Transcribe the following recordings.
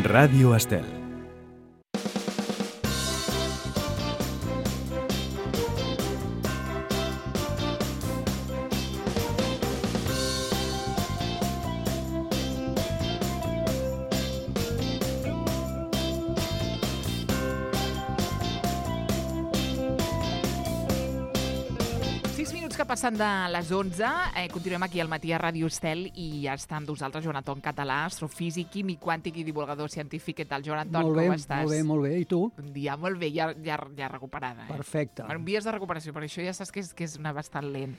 Ràdio Estel. Passant de les 11, continuem aquí al matí a Ràdio Estel i ja està amb nosaltres Joan Anton Català, astrofísic, químic quàntic i divulgador científic. Què tal, Joan Anton? Molt bé, com estàs? Molt bé. I tu? Un dia molt bé, ja recuperada. Perfecte. En vies de recuperació, per això ja saps que és una bastant lent.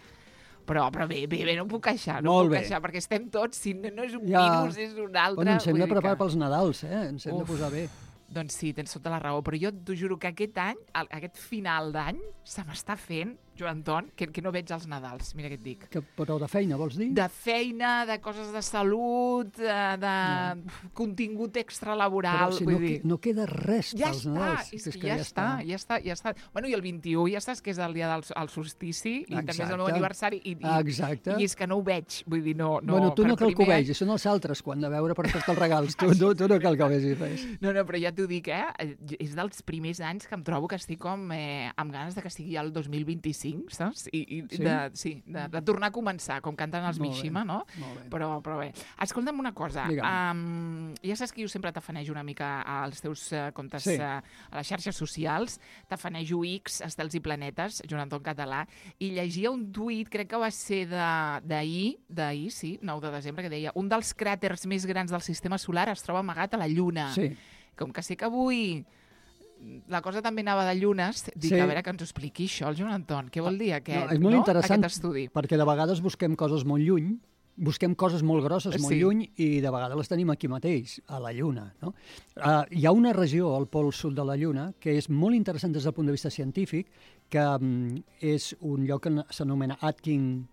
Però bé, no em puc queixar, perquè estem tots, si no és un virus, és un altre. Bueno, ens hem de preparar pels Nadals, ens hem de posar bé. Doncs sí, tens tota la raó, però jo t'ho juro que aquest any, aquest final d'any, se m'està fent, Joan Anton, que no veig els Nadals, mira què et dic. Però de feina, vols dir? De feina, de coses de salut, de contingut extralaboral. Però si no queda res pels Nadals. Ja està. Bueno, i el 21 ja saps que és el dia del solstici, i també és el meu aniversari, i és que no ho veig, vull dir, no... Bueno, tu no cal que ho vegis, són els altres quan de veure per fer-te els regals, tu no cal que ho vegis res. No, però ja t'ho dic, és dels primers anys que em trobo que estic com amb ganes de que sigui el 2025, saps? De tornar a començar, com canten els Mishima, no? Però bé. Escolta'm una cosa. Ja saps que jo sempre tafanejo una mica als teus comptes a les xarxes socials. Tafanejo X, Estels i Planetes, Joan Anton Català, i llegia un tuit, crec que va ser d'ahir, 9 de desembre, que deia: un dels cràters més grans del sistema solar es troba amagat a la Lluna. Sí. Com que sé que avui la cosa també anava de llunes, dic, a veure que ens ho expliqui això, el Joan Anton. Què vol dir aquest estudi? Perquè de vegades busquem coses molt lluny, busquem coses molt grosses, molt lluny, i de vegades les tenim aquí mateix, a la Lluna. No? Hi ha una regió al pol sud de la Lluna que és molt interessant des del punt de vista científic, que és un lloc que s'anomena Aitken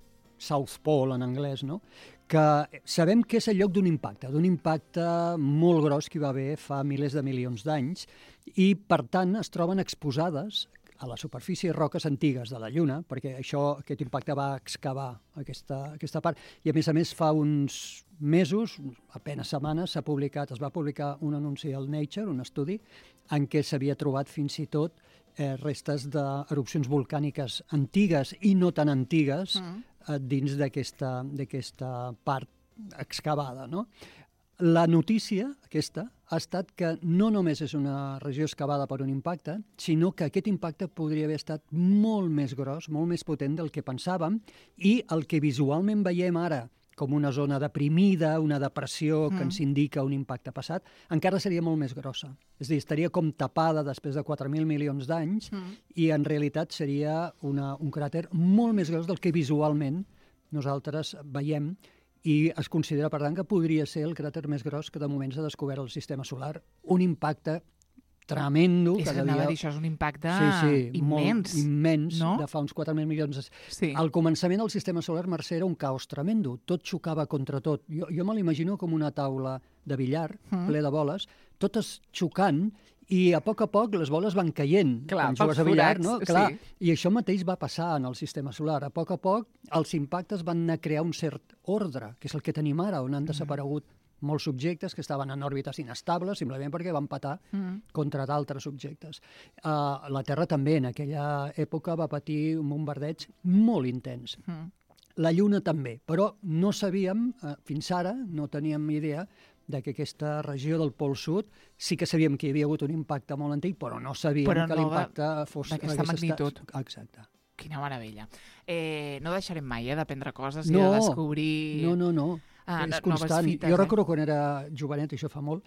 South Pole en anglès, no? Que sabem que és el lloc d'un impacte molt gros que hi va haver fa milers de milions d'anys, i per tant es troben exposades a la superfície roques antigues de la Lluna, perquè aquest impacte va excavar aquesta part, i a més fa uns mesos, apenas setmanes, es va publicar un anunci al Nature, un estudi, en què s'havia trobat fins i tot restes d'erupcions volcàniques antigues i no tan antigues dins d'aquesta part excavada, no? La notícia aquesta ha estat que no només és una regió excavada per un impacte, sinó que aquest impacte podria haver estat molt més gros, molt més potent del que pensàvem, i el que visualment veiem ara com una zona deprimida, una depressió que ens indica un impacte passat, encara seria molt més grossa. És a dir, estaria com tapada després de 4.000 milions d'anys i en realitat seria un cràter molt més gros del que visualment nosaltres veiem, i es considera, per tant, que podria ser el cràter més gros que de moment s'ha descobert al sistema solar. Un impacte tremendo. És que anava a dir, això és un impacte immens. Immens, no? De fa uns 4.000 milions. Sí. Al començament del sistema solar, Mercè, era un caos tremendo. Tot xocava contra tot. Jo me l'imagino com una taula de billar, ple de boles, totes xocant, i a poc les boles van caient. Clar, quan jugues a billar, forats, no? Clar. I això mateix va passar en el sistema solar. A poc els impactes van anar a crear un cert ordre, que és el que tenim ara, on han desaparegut molts subjectes que estaven en òrbites inestables, simplement perquè van patar contra d'altres objectes. La Terra també, en aquella època, va patir un bombardeig molt intens. La Lluna també, però no sabíem, fins ara, no teníem idea que aquesta regió del Pol Sud sí que sabíem que hi havia hagut un impacte molt antic, però no sabíem que l'impacte fos d'aquesta magnitud. Exacte. Quina meravella. No deixarem mai d'aprendre coses i de descobrir... No. És constant. Jo recordo quan era jovenet, això fa molt,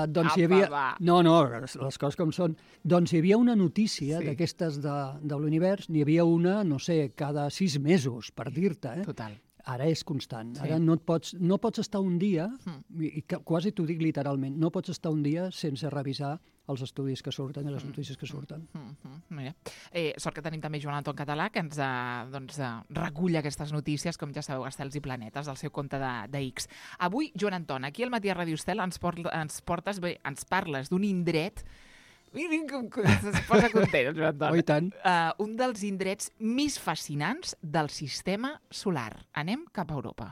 doncs hi havia... No, les coses com són. Doncs hi havia una notícia d'aquestes de l'univers, n'hi havia una, no sé, cada 6 mesos, per dir-te. Total. Ara és constant. Ara no pots estar un dia, i quasi t'ho dic literalment, no pots estar un dia sense revisar els estudis que surten i les notícies que surten. Mira. Sort que tenim també Joan Anton Català, que ens recull aquestes notícies, com ja sabeu, Estels i Planetes, del seu compte de X. Avui, Joan Anton, aquí al matí a Ràdio Estel ens parles d'un indret. Es posa content, el Joan Anton. Oh, i tant. Un dels indrets més fascinants del sistema solar. Anem cap a Europa.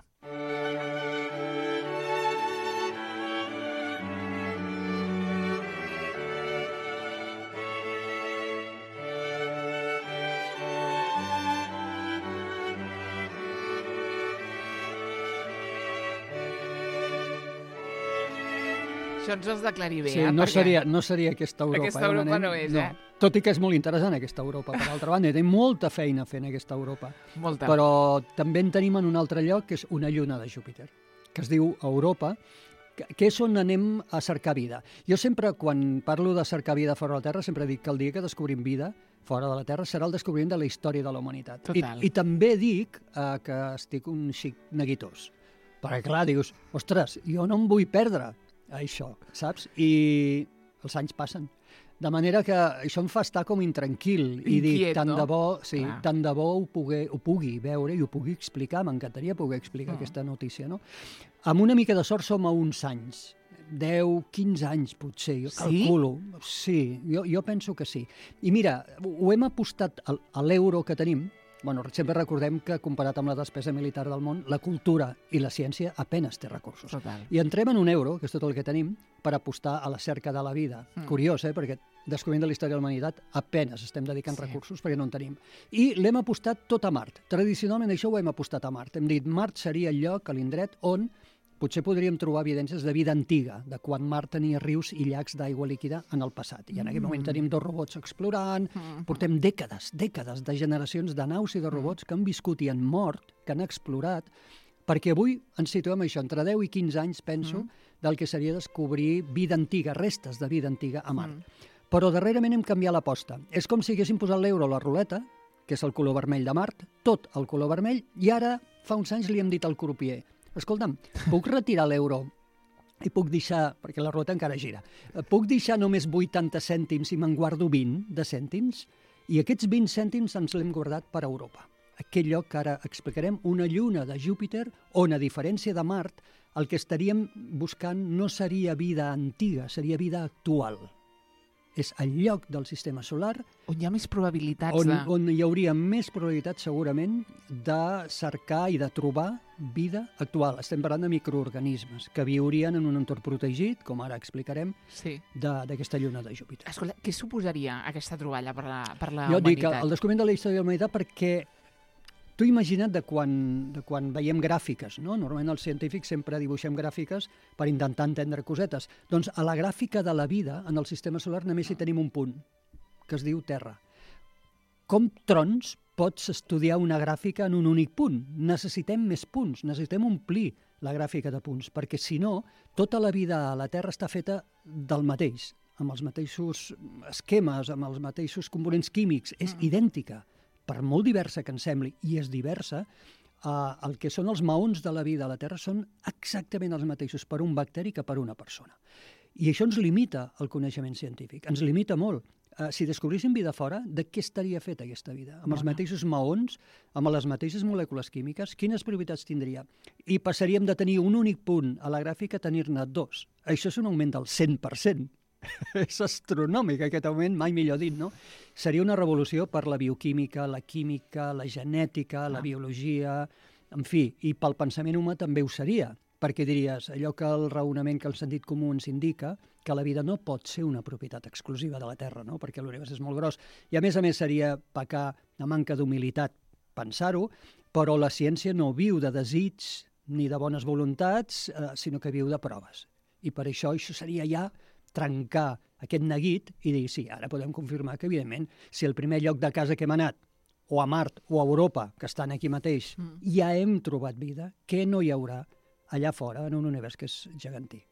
Això ens ho has d'aclarir bé, sí, no seria aquesta Europa. Aquesta Europa no és, Tot i que és molt interessant aquesta Europa, per altra banda, té molta feina fent aquesta Europa. Molta. Però també en tenim en un altre lloc, que és una lluna de Júpiter, que es diu Europa, que és on anem a cercar vida. Jo sempre, quan parlo de cercar vida fora de la Terra, sempre dic que el dia que descobrim vida fora de la Terra serà el descobriment de la història de la humanitat. I també dic que estic un xic neguitós. Perquè, clar, dius, ostres, jo no em vull perdre això, saps? I els anys passen. De manera que això em fa estar com intranquil i dir, tant de bo ho pugui veure i ho pugui explicar, m'encantaria poder explicar aquesta notícia, no? Amb una mica de sort som a uns anys, 10, 15 anys potser, jo calculo. Sí, jo penso que sí. I mira, ho hem apostat a l'euro que tenim. Bueno, sempre recordem que, comparat amb la despesa militar del món, la cultura i la ciència apenas té recursos. Total. I entrem en un euro, que és tot el que tenim, per apostar a la cerca de la vida. Curiós, perquè descobrint de la història de la humanitat apenas estem dedicant recursos perquè no en tenim. I l'hem apostat tot a Mart. Tradicionalment això ho hem apostat a Mart. Hem dit Mart seria el lloc, l'indret, on potser podríem trobar evidències de vida antiga, de quan Mart tenia rius i llacs d'aigua líquida en el passat. I en aquell moment tenim 2 robots explorant, portem dècades de generacions de naus i de robots que han viscut i han mort, que han explorat, perquè avui ens situem això, entre 10 i 15 anys, penso, del que seria descobrir vida antiga, restes de vida antiga a Mart. Però darrerament hem canviat l'aposta. És com si haguéssim posat l'euro a la ruleta, que és el color vermell de Mart, tot el color vermell, i ara, fa uns anys, li hem dit al crupier: escolta'm, puc retirar l'euro i puc deixar, perquè la ruleta encara gira, puc deixar només 80 cèntims i me'n guardo 20 de cèntims? I aquests 20 cèntims ens l'hem guardat per a Europa. Aquell lloc que ara explicarem, una lluna de Júpiter, on, a diferència de Mart, el que estaríem buscant no seria vida antiga, seria vida actual. És el lloc del sistema solar on hi ha més probabilitats on hi hauria més probabilitats segurament de cercar i de trobar vida actual. Estem parlant de microorganismes que viurien en un entorn protegit, com ara explicarem, d'aquesta lluna de Júpiter. Escolta, què suposaria aquesta troballa per la humanitat? Jo dic el descobriment de la història de la humanitat perquè tu imagina't de quan veiem gràfiques, no? Normalment els científics sempre dibuixem gràfiques per intentar entendre cosetes. Doncs a la gràfica de la vida en el sistema solar només hi tenim un punt, que es diu Terra. Com trons pots estudiar una gràfica en un únic punt? Necessitem més punts, necessitem omplir la gràfica de punts, perquè si no, tota la vida a la Terra està feta del mateix, amb els mateixos esquemes, amb els mateixos components químics, és idèntica. Per molt diversa que ens sembli, i és diversa, el que són els maons de la vida a la Terra són exactament els mateixos per un bacteri que per una persona. I això ens limita el coneixement científic, ens limita molt. Si descobríssim vida fora, de què estaria feta aquesta vida? Amb els mateixos maons, amb les mateixes molècules químiques, quines propietats tindria? I passaríem de tenir un únic punt a la gràfica a tenir-ne 2. Això és un augment del 100%. És astronòmic aquest augment, mai millor dit, no? Seria una revolució per la bioquímica, la química, la genètica, la biologia, en fi, i pel pensament humà també ho seria, perquè diries, allò que el raonament que el sentit comú ens indica, que la vida no pot ser una propietat exclusiva de la Terra, no? Perquè l'univers és molt gros. I a més seria pecar de manca d'humilitat pensar-ho, però la ciència no viu de desig ni de bones voluntats, sinó que viu de proves. I per això seria ja trencar aquest neguit i dir, sí, ara podem confirmar que, evidentment, si el primer lloc de casa que hem anat, o a Mart o a Europa, que estan aquí mateix, ja hem trobat vida, què no hi haurà allà fora en un univers que és gegantí?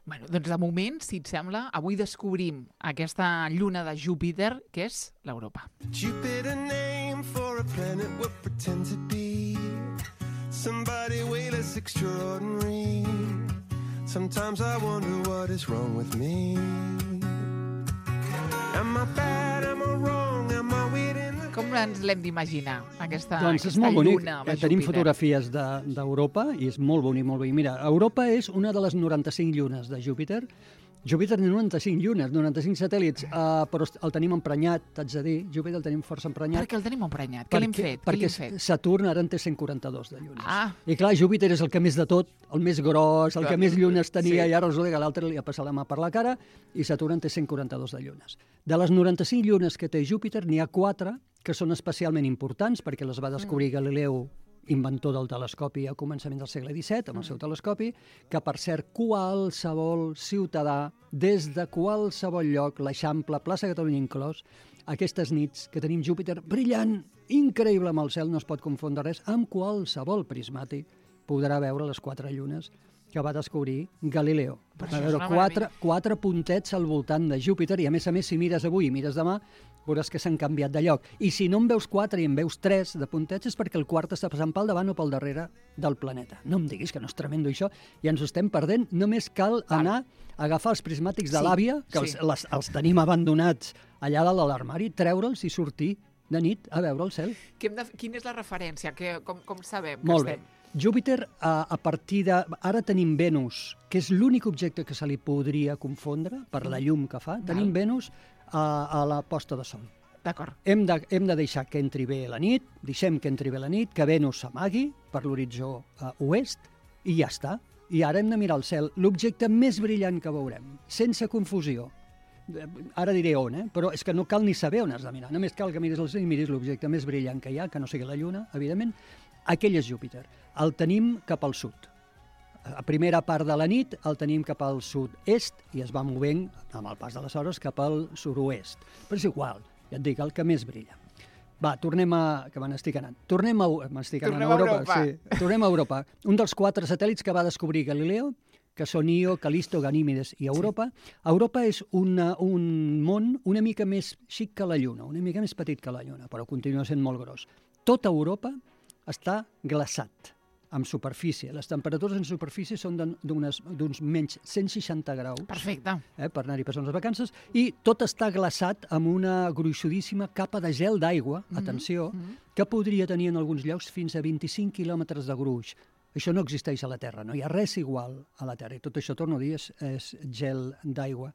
Bueno, doncs de moment, si et sembla, avui descobrim aquesta lluna de Júpiter, que és l'Europa. Jupiter name for a planet would pretend to be somebody way less extraordinary. Sometimes I wonder what is wrong with me. Am I bad, am I wrong, am I weird in the... Com ens l'hem d'imaginar, aquesta lluna? Doncs és molt bonic. Tenim fotografies d'Europa i és molt bonic, molt bonic. Mira, Europa és una de les 95 llunes de Júpiter. Júpiter té 95 llunes, 95 satèl·lits, però el tenim emprenyat, t'haig de dir. Júpiter el tenim força emprenyat. Per què el tenim emprenyat? Què l'hem fet? Perquè Saturn ara en té 142 de llunes. I clar, Júpiter és el que més de tot, el més gros, el que més llunes tenia, i ara resulta que l'altre li ha passat la mà per la cara, i Saturn en té 142 de llunes. De les 95 llunes que té Júpiter, n'hi ha 4 que són especialment importants, perquè les va descobrir Galileu inventor del telescopi a començaments del segle XVII, amb el seu telescopi, que, per cert, qualsevol ciutadà, des de qualsevol lloc, l'Eixample, plaça Catalunya inclòs, aquestes nits que tenim Júpiter brillant, increïble amb el cel, no es pot confondre res, amb qualsevol prismàtic podrà veure les 4 llunes que va descobrir Galileo. Va veure 4 puntets al voltant de Júpiter i, a més, si mires avui i mires demà, veuràs que s'han canviat de lloc. I si no en veus 4 i en veus 3 de puntets és perquè el quart està passant pel davant o pel darrere del planeta. No em diguis que no és tremendo això, i ens ho estem perdent. Només cal anar a agafar els prismàtics de l'àvia, que els tenim abandonats allà dalt de l'armari, treure'ls i sortir de nit a veure el cel. Quina és la referència? Com sabem que Molt bé. estem? Júpiter, a partir de... Ara tenim Venus, que és l'únic objecte que se li podria confondre per la llum que fa. Tenim Venus a la posta de sol. D'acord. Hem de deixar que entri bé la nit, deixem que entri bé la nit, que Venus s'amagui per l'horitzó oest, i ja està. I ara hem de mirar el cel, l'objecte més brillant que veurem, sense confusió. Ara diré on, però és que no cal ni saber on has de mirar, només cal que miris el cel i miris l'objecte més brillant que hi ha, que no sigui la Lluna, evidentment. Aquell és Júpiter. El tenim cap al sud. A primera part de la nit el tenim cap al sud-est i es va movent, amb el pas de les hores, cap al sud-oest. Però és igual, ja et dic, el que més brilla. Va, tornem a... que me n'estic anant. Tornem a Europa. Sí, tornem a Europa. Un dels 4 satèl·lits que va descobrir Galileo, que són Io, Calisto, Ganímedes i Europa. Sí. Europa és un món una mica més xic que la Lluna, una mica més petit que la Lluna, però continua sent molt gros. Tota Europa està glaçat amb superfície. Les temperatures en superfície són d'uns menys 160 graus. Perfecte. Per anar-hi passant les vacances. I tot està glaçat amb una gruixudíssima capa de gel d'aigua, atenció, que podria tenir en alguns llocs fins a 25 quilòmetres de gruix. Això no existeix a la Terra, no hi ha res igual a la Terra. I tot això, torno a dir, és gel d'aigua.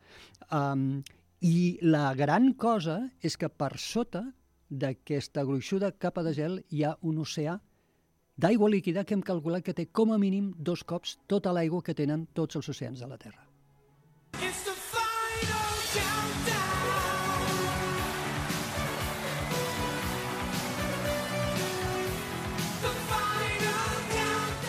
I la gran cosa és que per sota d'aquesta gruixuda capa de gel hi ha un oceà d'aigua líquida que hem calculat que té com a mínim 2 cops tota l'aigua que tenen tots els oceans de la Terra.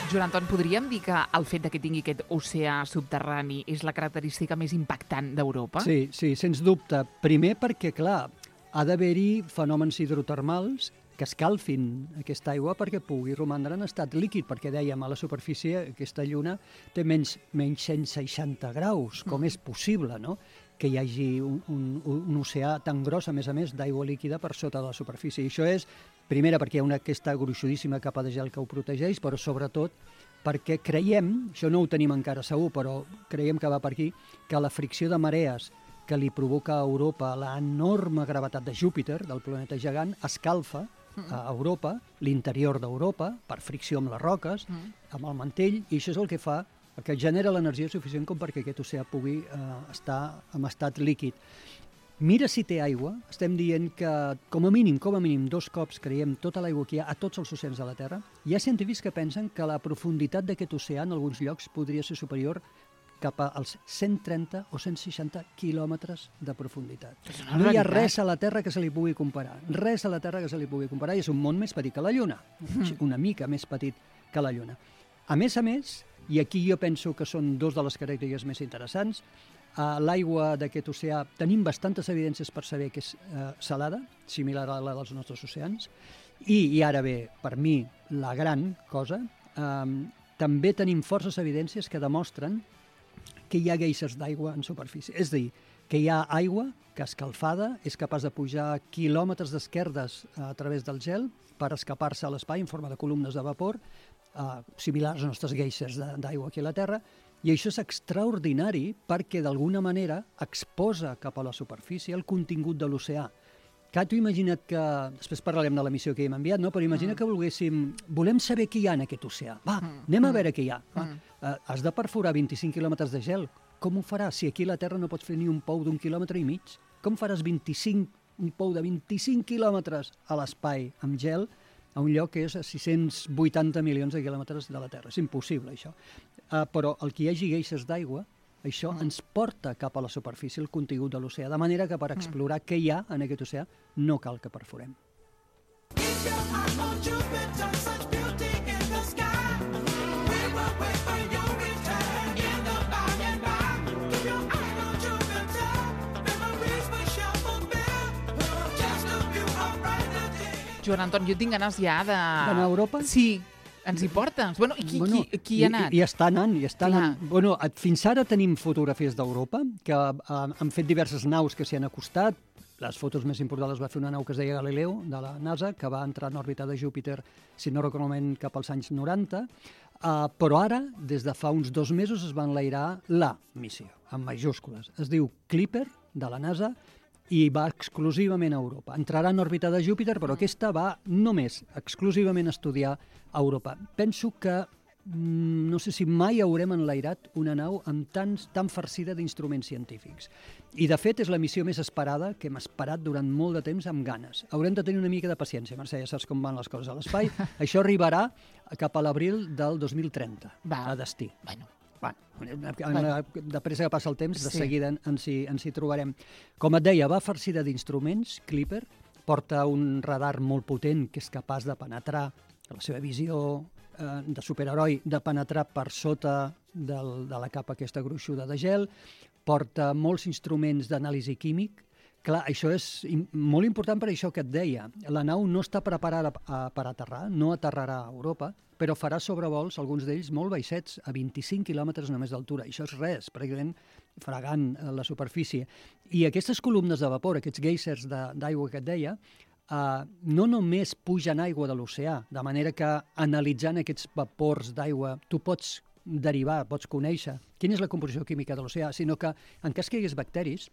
Joan Anton, podríem dir que el fet que tingui aquest oceà subterrani és la característica més impactant d'Europa? Sí, sens dubte. Primer perquè, clar, ha d'haver-hi fenòmens hidrotermals que escalfin aquesta aigua perquè pugui romandre en estat líquid, perquè dèiem, a la superfície aquesta lluna té menys 160 graus. Com és possible, no?, que hi hagi un oceà tan gros, a més, d'aigua líquida per sota de la superfície. I això és, primera, perquè hi ha aquesta gruixudíssima capa de gel que ho protegeix, però sobretot perquè creiem, això no ho tenim encara segur, però creiem que va per aquí, que la fricció de marees que li provoca a Europa l'enorme gravetat de Júpiter, del planeta gegant, escalfa a Europa, l'interior d'Europa, per fricció amb les roques, amb el mantell, i això és el que fa, que genera l'energia suficient com perquè aquest oceà pugui estar en estat líquid. Mira si té aigua, estem dient que com a mínim 2 cops creiem tota l'aigua que hi ha a tots els oceans de la Terra. Hi ha científics que pensen que la profunditat d'aquest oceà en alguns llocs podria ser superior cap als 130 o 160 quilòmetres de profunditat. No hi ha res a la Terra que se li pugui comparar. Res a la Terra que se li pugui comparar, i és un món més petit que la Lluna, una mica més petit que la Lluna. A més, i aquí jo penso que són 2 de les característiques més interessants, l'aigua d'aquest oceà tenim bastantes evidències per saber que és salada, similar a la dels nostres oceans, i ara bé, per mi, la gran cosa, també tenim forces evidències que demostren que hi ha guèisers d'aigua en superfície. És a dir, que hi ha aigua que escalfada és capaç de pujar quilòmetres d'esquerdes a través del gel per escapar-se a l'espai en forma de columnes de vapor, similars als nostres guèisers d'aigua aquí a la Terra, i això és extraordinari perquè d'alguna manera exposa cap a la superfície el contingut de l'oceà. Que tu imagina't que, després parlarem de la missió que hem enviat, no? Però imagina que volem saber què hi ha en aquest oceà. Va, anem a veure què hi ha. Has de perforar 25 quilòmetres de gel. Com ho faràs? Si aquí a la Terra no pots fer ni un pou d'1,5 quilòmetres, com faràs un pou de 25 quilòmetres a l'espai amb gel a un lloc que és a 680 milions de quilòmetres de la Terra? És impossible, això. Però el que hi hagi guèisers d'aigua, això ens porta cap a la superfície el contingut de l'oceà, de manera que per explorar què hi ha en aquest oceà no cal que perforem. Joan Anton, jo tinc ganes ja de... D'anar a Europa? Sí. Ens hi portes? Bueno, i qui hi ha anat? I està anant, Bueno, fins ara tenim fotografies d'Europa, que han fet diverses naus que s'hi han acostat. Les fotos més importants les va fer una nau que es deia Galileo, de la NASA, que va entrar en òrbita de Júpiter, si no recordo malament, cap als anys 90. Però ara, des de fa uns 2 mesos, es va enlairar la missió, amb majúscules. Es diu Clipper, de la NASA, i va exclusivament a Europa. Entrarà en òrbita de Júpiter, però aquesta va només, exclusivament a estudiar a Europa. Penso que no sé si mai haurem enlairat una nau amb tan farcida d'instruments científics. I, de fet, és la missió més esperada, que hem esperat durant molt de temps amb ganes. Haurem de tenir una mica de paciència, Mercè, ja saps com van les coses a l'espai. Això arribarà cap a l'abril del 2030, a destí. De pressa que passa el temps, de seguida ens hi trobarem. Com et deia, va farcida d'instruments, Clipper, porta un radar molt potent que és capaç de penetrar, la seva visió de superheroi, de penetrar per sota de la capa aquesta gruixuda de gel, porta molts instruments d'anàlisi químic. Clar, això és molt important per això que et deia. La nau no està preparada per aterrar, no aterrarà a Europa, però farà sobrevols, alguns d'ells molt baixets, a 25 quilòmetres només d'altura. Això és res, pràcticament fregant la superfície. I aquestes columnes de vapor, aquests geysers d'aigua que et deia, no només pugen aigua de l'oceà, de manera que analitzant aquests vapors d'aigua tu pots derivar, pots conèixer quina és la composició química de l'oceà, sinó que en cas que hi hagués bacteris,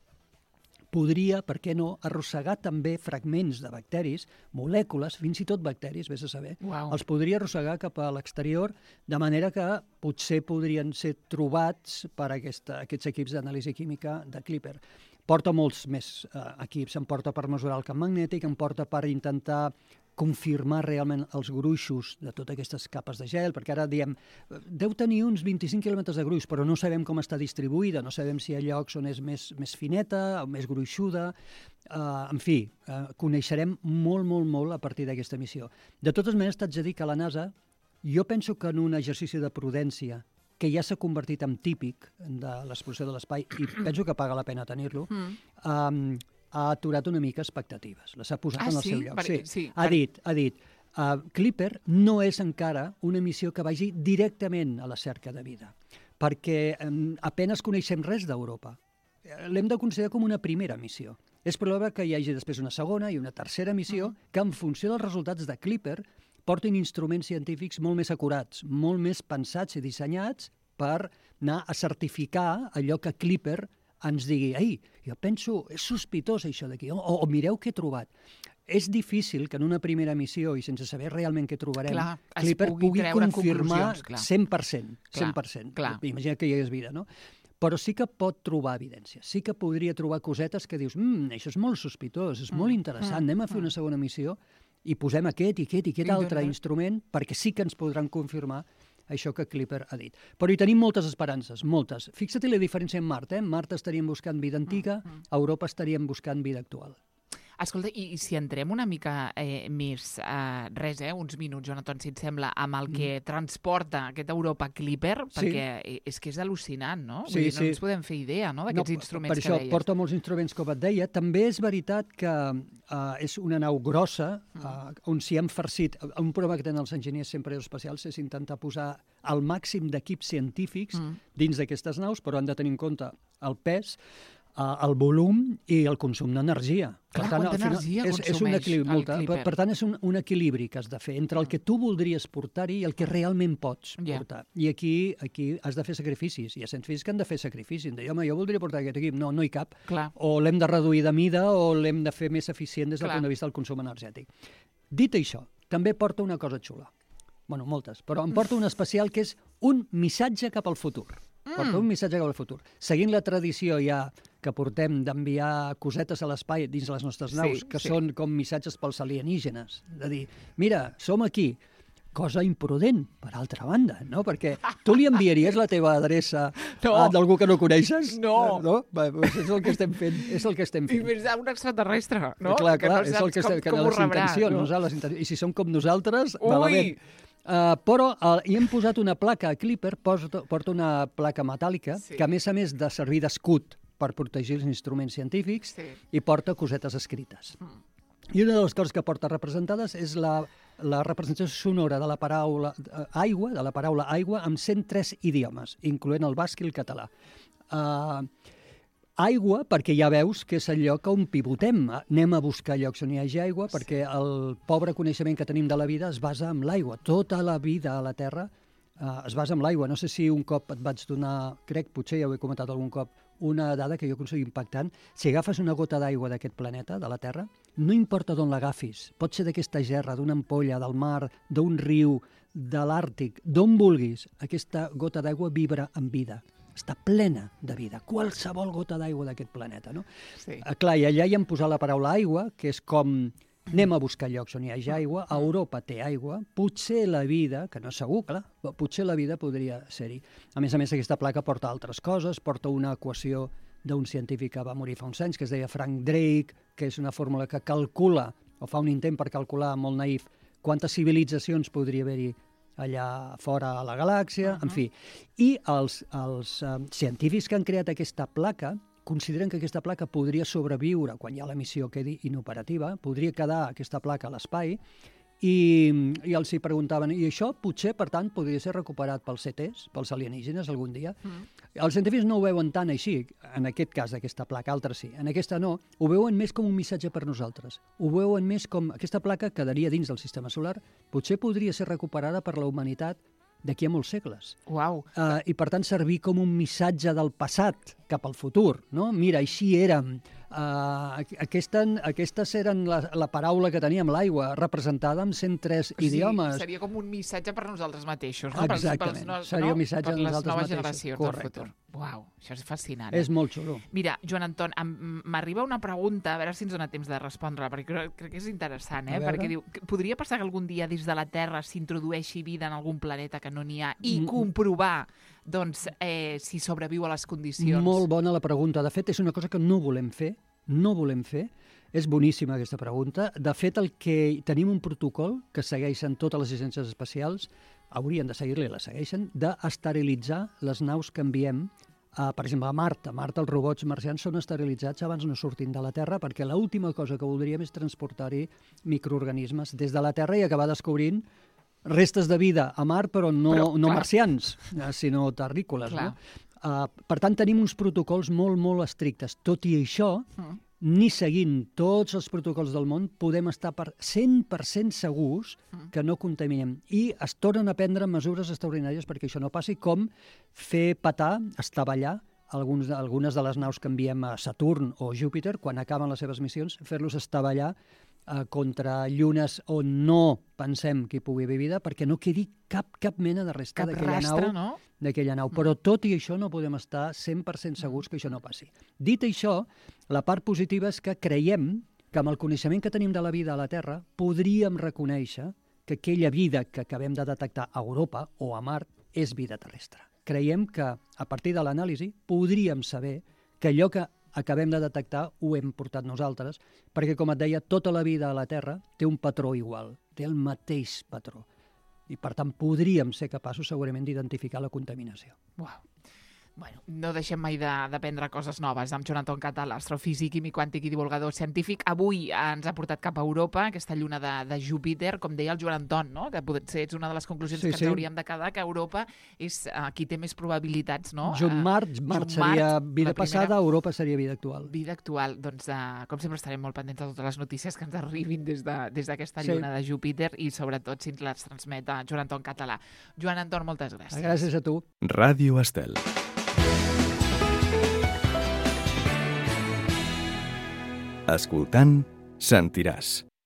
podria, per què no, arrossegar també fragments de bacteris, molècules, fins i tot bacteris, vés a saber, els podria arrossegar cap a l'exterior, de manera que potser podrien ser trobats per aquests equips d'anàlisi química de Clipper. Porta molts més equips, em porta per mesurar el camp magnètic, em porta per intentar confirmar realment els gruixos de totes aquestes capes de gel, perquè ara diem, deu tenir uns 25 quilòmetres de gruix, però no sabem com està distribuïda, no sabem si hi ha llocs on és més fineta o més gruixuda. En fi, coneixerem molt a partir d'aquesta missió. De totes maneres, t'haig de dir que la NASA, jo penso que en un exercici de prudència, que ja s'ha convertit en típic de l'exploració de l'espai, i penso que paga la pena tenir-lo, ha aturat una mica expectatives. Les ha posat en el seu lloc. Ha dit, Clipper no és encara una missió que vagi directament a la cerca de vida, perquè apenas coneixem res d'Europa. L'hem de considerar com una primera missió. És probable que hi hagi després una segona i una tercera missió que, en funció dels resultats de Clipper, portin instruments científics molt més acurats, molt més pensats i dissenyats per anar a certificar allò que Clipper ens digui, jo penso, és sospitós això d'aquí, o mireu què he trobat. És difícil que en una primera missió, i sense saber realment què trobarem, Clipper pugui confirmar 100%. Imagina que hi hagués vida, no? Però sí que pot trobar evidència, sí que podria trobar cosetes que dius, això és molt sospitós, és molt interessant, anem a fer una segona missió i posem aquest altre instrument perquè sí que ens podran confirmar això que Clipper ha dit. Però hi tenim moltes esperances, moltes. Fixa't la diferència amb Mart, Mart estaríem buscant vida antiga, a Europa estaríem buscant vida actual. Escolta, i si entrem una mica més, uns minuts, Joan Anton, si et sembla, amb el que transporta aquest Europa Clipper, perquè és que és al·lucinant, no? Vull dir, no ens podem fer idea, no?, d'aquests instruments que deies. Per això porta molts instruments, com et deia. També és veritat que és una nau grossa, on s'hi han farcit. Un problema que tenen els enginyers sempre aeroespacials és intentar posar el màxim d'equips científics dins d'aquestes naus, però han de tenir en compte el pes, el volum i el consum d'energia. Clar, quanta energia consumeix el Clipper. Per tant, és un equilibri que has de fer entre el que tu voldries portar-hi i el que realment pots portar. I aquí has de fer sacrificis. Hi ha científics que han de fer sacrificis. De dir, home, jo voldria portar aquest equip. No hi cap. O l'hem de reduir de mida o l'hem de fer més eficient des del punt de vista del consum energètic. Dit això, també porta una cosa xula. Bueno, moltes, però em porta una especial que és un missatge cap al futur. Porta un missatge cap al futur. Seguint la tradició ja que portem d'enviar cosetes a l'espai dins les nostres naus, que són com missatges pels alienígenes. De dir, mira, som aquí. Cosa imprudent, per altra banda, no? Perquè tu li enviaries la teva adreça d'algú que no coneixes? No. És el que estem fent. I més d'un extraterrestre, no? Clar, és el que estem fent. Les intencions. I si som com nosaltres, malament. Però hi hem posat una placa a Clipper, porta una placa metàl·lica, que a més de servir d'escut per protegir els instruments científics, i porta cosetes escrites. I una de les coses que porta representades és la representació sonora de la paraula aigua, amb 103 idiomes, incloent el basc i el català. Aigua, perquè ja veus que és el lloc on pivotem. Anem a buscar llocs on hi hagi aigua, perquè el pobre coneixement que tenim de la vida es basa en l'aigua. Tota la vida a la Terra es basa en l'aigua. No sé si un cop et vaig donar, crec, potser ja ho he comentat algun cop, una dada que jo considero impactant. Si agafes una gota d'aigua d'aquest planeta, de la Terra, no importa d'on l'agafis, pot ser d'aquesta gerra, d'una ampolla, del mar, d'un riu, de l'Àrtic, d'on vulguis, aquesta gota d'aigua vibra amb vida. Està plena de vida, qualsevol gota d'aigua d'aquest planeta, no? Sí. Clar, i allà hi hem posat la paraula aigua, que és com anem a buscar llocs on hi hagi aigua, a Europa té aigua, potser la vida, que no és segur, clar, potser la vida podria ser-hi. A més, aquesta placa porta altres coses, porta una equació d'un científic que va morir fa uns anys, que es deia Frank Drake, que és una fórmula que calcula, o fa un intent per calcular, molt naïf, quantes civilitzacions podria haver-hi allà fora a la galàxia, en fi. I els científics que han creat aquesta placa consideren que aquesta placa podria sobreviure quan ja la missió quedi inoperativa, podria quedar aquesta placa a l'espai, i els hi preguntaven, i això potser, per tant, podria ser recuperat pels CTs, pels alienígenes, algun dia? Els científics no ho veuen tant així, en aquest cas d'aquesta placa, altres sí. En aquesta no, ho veuen més com un missatge per nosaltres. Ho veuen més com aquesta placa quedaria dins del sistema solar, potser podria ser recuperada per la humanitat d'aquí a molts segles. Uau. I per tant servir com un missatge del passat cap al futur, no? Mira, així érem. Aquestes eren la paraula que teníem, l'aigua, representada amb 103 idiomes. Seria com un missatge per nosaltres mateixos, no? Exactament, seria un missatge per nosaltres mateixos. Per les noves generacions del futur. Uau, això és fascinant. És molt xulo. Mira, Joan Anton, m'arriba una pregunta, a veure si ens dona temps de respondre, perquè crec que és interessant, perquè diu, podria passar que algun dia dins de la Terra s'introdueixi vida en algun planeta que no n'hi ha i comprovar doncs, si sobreviu a les condicions? Molt bona la pregunta. De fet, és una cosa que no volem fer. És boníssima aquesta pregunta. De fet, tenim un protocol que segueixen totes les agències espacials, haurien de seguir-li, la segueixen, d'esterilitzar les naus que enviem, per exemple, a Mart. A Mart els robots marcians són esterilitzats abans no surtin de la Terra, perquè l'última cosa que voldríem és transportar-hi microorganismes des de la Terra i acabar descobrint restes de vida a Mart, però no marcians, sinó terrícoles. No? Per tant, tenim uns protocols molt, molt estrictes. Tot i això, ni seguint tots els protocols del món, podem estar per 100% segurs que no contaminem. I es tornen a prendre mesures extraordinàries perquè això no passi, com fer petar, estavellar, algunes de les naus que enviem a Saturn o Júpiter, quan acaben les seves missions, fer-los estavellar contra llunes on no pensem que hi pugui haver vida, perquè no quedi cap mena de resta d'aquella nau. Però tot i això no podem estar 100% segurs que això no passi. Dit això, la part positiva és que creiem que amb el coneixement que tenim de la vida a la Terra podríem reconèixer que aquella vida que acabem de detectar a Europa o a Mart és vida terrestre. Creiem que a partir de l'anàlisi podríem saber que allò que acabem de detectar ho hem portat nosaltres, perquè, com et deia, tota la vida a la Terra té un patró igual, té el mateix patró. I, per tant, podríem ser capaços, segurament, d'identificar la contaminació. Uau. Bueno, no deixem mai d'aprendre coses noves. Amb Joan Anton Català, astrofísic, químic quàntic i divulgador científic. Avui ens ha portat cap a Europa, aquesta lluna de Júpiter, com deia el Joan Anton, no? Que potser és una de les conclusions que ens hauríem de quedar, que Europa és qui té més probabilitats, no? Mart seria vida passada, Europa seria vida actual. Vida actual. Doncs, com sempre, estarem molt pendents de totes les notícies que ens arribin des d'aquesta lluna de Júpiter i, sobretot, si ens les transmet a Joan Anton Català. Joan Anton, moltes gràcies. Gràcies a tu. Ràdio Estel. Escoltant, sentiràs.